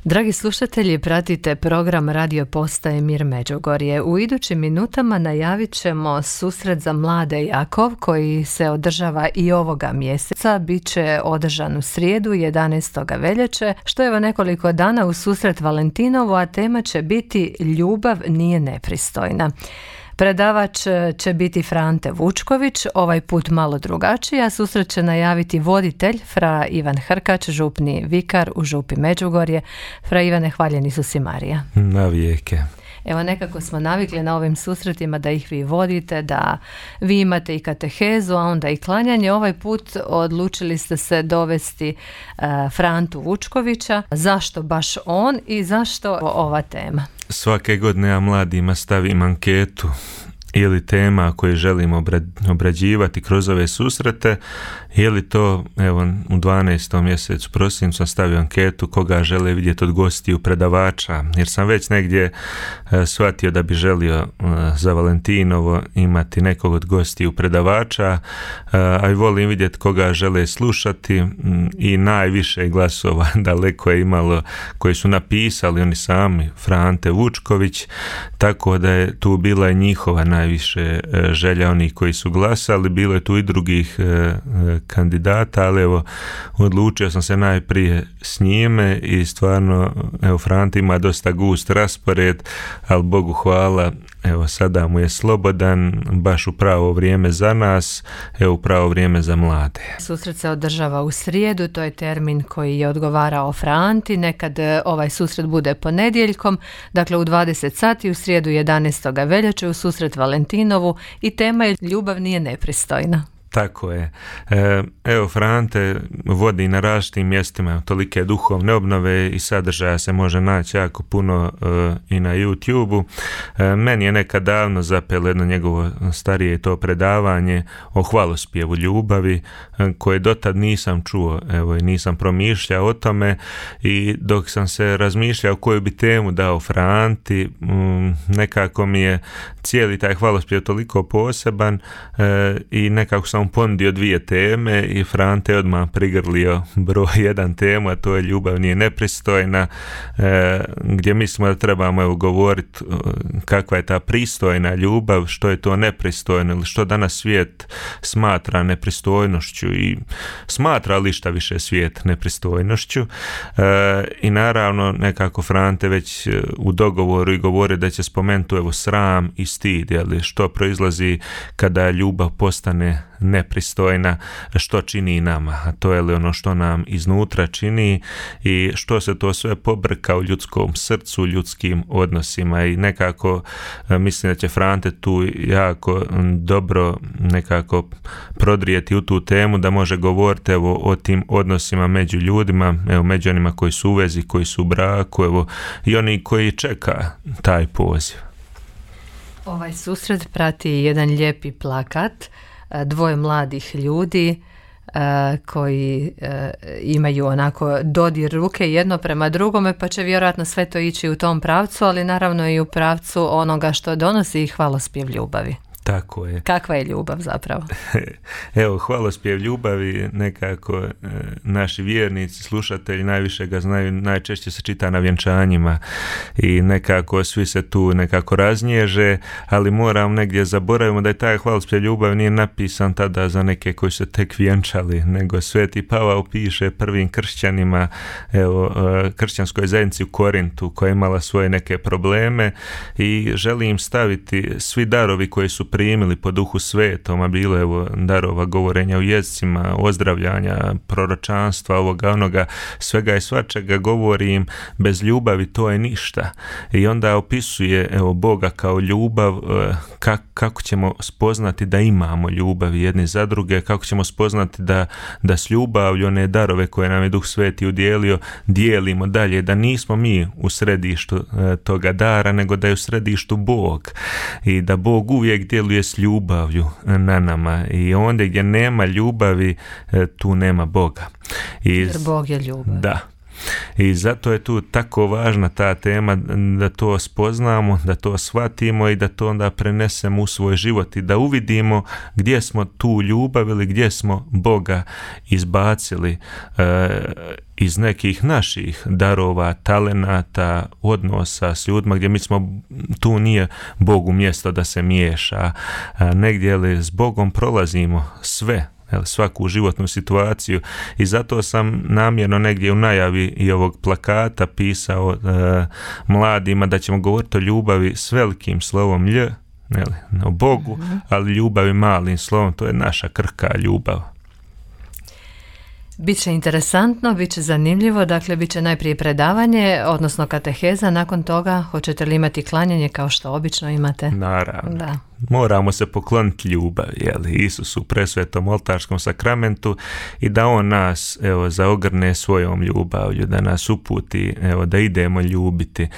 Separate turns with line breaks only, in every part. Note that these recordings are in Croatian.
Dragi slušatelji, pratite program Radio Postaje Mir Međugorje. U idućim minutama najavit ćemo susret za mlade Jakov koji se održava i ovoga mjeseca. Biće održan u srijedu 11. veljače, što je nekoliko dana u susret Valentinovu, a tema će biti Ljubav nije nepristojna. Predavač će biti Frante Vučković, ovaj put malo drugačiji, a susret će najaviti voditelj fra Ivan Hrkač, župni vikar u župi Međugorje. Fra Ivane, hvaljeni su si Marija.
Na vijeke.
Evo, nekako smo navikli na ovim susretima da ih vi vodite, da vi imate i katehezu, a onda i klanjanje. Ovaj put odlučili ste se dovesti Frantu Vučkovića. Zašto baš on i zašto ova tema?
Svake godine ja mladima stavim anketu ili tema koje želimo obrađivati kroz ove susrete, ili to, evo, u 12. mjesecu prosincu sam stavio anketu koga žele vidjeti od gostiju predavača, jer sam već negdje shvatio da bi želio za Valentinovo imati nekog od gostiju predavača, a i volim vidjeti koga žele slušati, i najviše glasova daleko je imalo koji su napisali oni sami, Frante Vučković, tako da je tu bila i njihova najviše želja onih koji su glasali. Bilo je tu i drugih kandidata, ali evo, odlučio sam se najprije s njime i stvarno, evo, Frante ima dosta gust raspored, ali Bogu hvala, evo, sada mu je slobodan, baš u pravo vrijeme za nas, evo, u pravo vrijeme za mlade.
Susret se održava u srijedu, to je termin koji je odgovarao Franti. Nekad ovaj susret bude ponedjeljkom, dakle u 20 sati u srijedu 11. veljače u susret Valentinovu, i tema je Ljubav nije nepristojna.
Tako je. Evo, Frante vodi na različitim mjestima tolike duhovne obnove i sadržaja se može naći jako puno i na YouTube-u. Meni je nekad davno zapelo jedno njegovo starije to predavanje o hvalospjevu ljubavi, koje dotad nisam čuo, evo, i nisam promišljao o tome, i dok sam se razmišljao koju bi temu dao Franti, nekako mi je cijeli taj hvalospjev toliko poseban, i nekako sam ponudio dvije teme i Frante odmah prigrlio broj jedan temu, a to je Ljubav nije nepristojna, gdje mislimo da trebamo govoriti kakva je ta pristojna ljubav, što je to nepristojno, ili što danas svijet smatra nepristojnošću i smatra li šta više svijet nepristojnošću, i naravno nekako Frante već u dogovoru i govori da će spomenuti, evo, sram i stid, ali što proizlazi kada ljubav postane nepristojna, što čini nama, a to je li ono što nam iznutra čini i što se to sve pobrka u ljudskom srcu, ljudskim odnosima, i nekako mislim da će Frante tu jako dobro nekako prodrijeti u tu temu, da može govoriti, evo, o tim odnosima među ljudima, evo, među onima koji su u vezi, koji su u braku, evo, i oni koji čeka taj poziv.
Ovaj susret prati jedan lijepi plakat, dvoje mladih ljudi koji imaju onako dodir ruke jedno prema drugome, pa će vjerojatno sve to ići u tom pravcu, ali naravno i u pravcu onoga što donosi hvalospjev ljubavi.
Tako je.
Kakva je ljubav zapravo?
Evo, hvalospjev ljubavi nekako naši vjernici, slušatelji najviše ga znaju, najčešće se čita na vjenčanjima i nekako svi se tu nekako raznježe, ali moram negdje zaboravimo da je taj hvalospjev ljubavi nije napisan tada za neke koji su tek vjenčali, nego Sveti Pavao piše prvim kršćanima, evo, kršćanskoj zajednici u Korintu, koja je imala svoje neke probleme, i želi im staviti svi darovi koji su primili po Duhu Svetom, a bilo je, evo, darova govorenja u jezicima, ozdravljanja, proročanstva, ovoga, onoga, svega i svačega, govori im, bez ljubavi to je ništa. I onda opisuje, evo, Boga kao ljubav, kako ćemo spoznati da imamo ljubav jedni za druge, kako ćemo spoznati da s ljubavlju one darove koje nam je Duh Sveti udijelio dijelimo dalje, da nismo mi u središtu toga dara, nego da je u središtu Bog, i da Bog uvijek djeluje s ljubavlju na nama, i ondje gdje nema ljubavi tu nema Boga.
Jer Bog je ljubav.
Da. I zato je tu tako važna ta tema da to spoznamo, da to shvatimo i da to onda prenesemo u svoj život i da uvidimo gdje smo tu ljubav ili gdje smo Boga izbacili iz nekih naših darova, talenata, odnosa s ljudima gdje mi smo, tu nije Bogu mjesto da se miješa, negdje li s Bogom prolazimo sve, svaku životnu situaciju i zato sam namjerno negdje u najavi i ovog plakata pisao mladima da ćemo govoriti o ljubavi s velikim slovom Lj, o Bogu, ali ljubavi malim slovom, to je naša krhka ljubav.
Biće interesantno, biće zanimljivo, dakle bit će najprije predavanje, odnosno kateheza, nakon toga hoćete li imati klanjanje kao što obično imate?
Naravno.
Da.
Moramo se pokloniti ljubavi, Isusu u presvetom oltarskom sakramentu i da on nas zaogrne svojom ljubavlju, da nas uputi, da idemo ljubiti.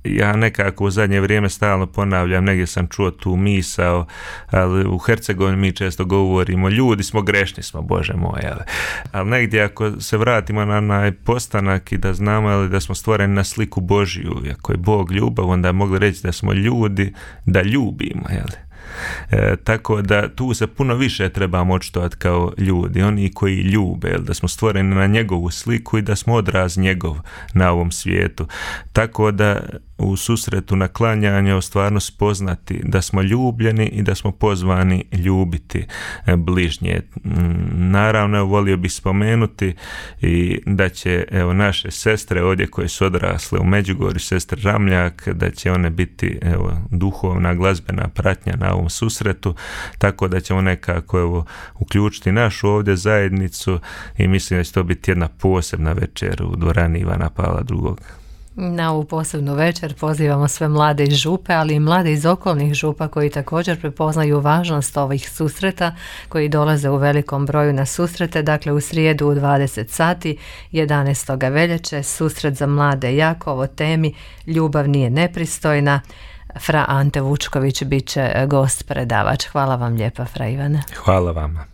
Ja nekako u zadnje vrijeme stalno ponavljam, negdje sam čuo tu misao, ali u Hercegovini mi često govorimo ljudi smo, grešni smo, Bože moj, ali negdje ako se vratimo na onaj postanak i da znamo da smo stvoreni na sliku Božju, ako je Bog ljubav, onda mogli reći da smo ljudi da ljubimo, tako da tu se puno više trebamo očitovati kao ljudi, oni koji ljube, da smo stvoreni na njegovu sliku i da smo odraz njegov na ovom svijetu, tako da u susretu na klanjanje stvarno spoznati da smo ljubljeni i da smo pozvani ljubiti bližnje. Naravno, volio bih spomenuti i da će naše sestre ovdje koje su odrasle u Međugorju, sestre Ramljak, da će one biti duhovna glazbena pratnja na ovom susretu, tako da ćemo nekako uključiti našu ovdje zajednicu i mislim da će to biti jedna posebna večer u dvorani Ivana Pavla II.
Na ovu posebnu večer pozivamo sve mlade iz Župe, ali i mlade iz okolnih župa koji također prepoznaju važnost ovih susreta, koji dolaze u velikom broju na susrete. Dakle, u srijedu u 20 sati 11. veljače susret za mlade Jakov o temi Ljubav nije nepristojna. Fra Ante Vučković bit će gost predavač. Hvala vam lijepa, fra Ivane.
Hvala vama.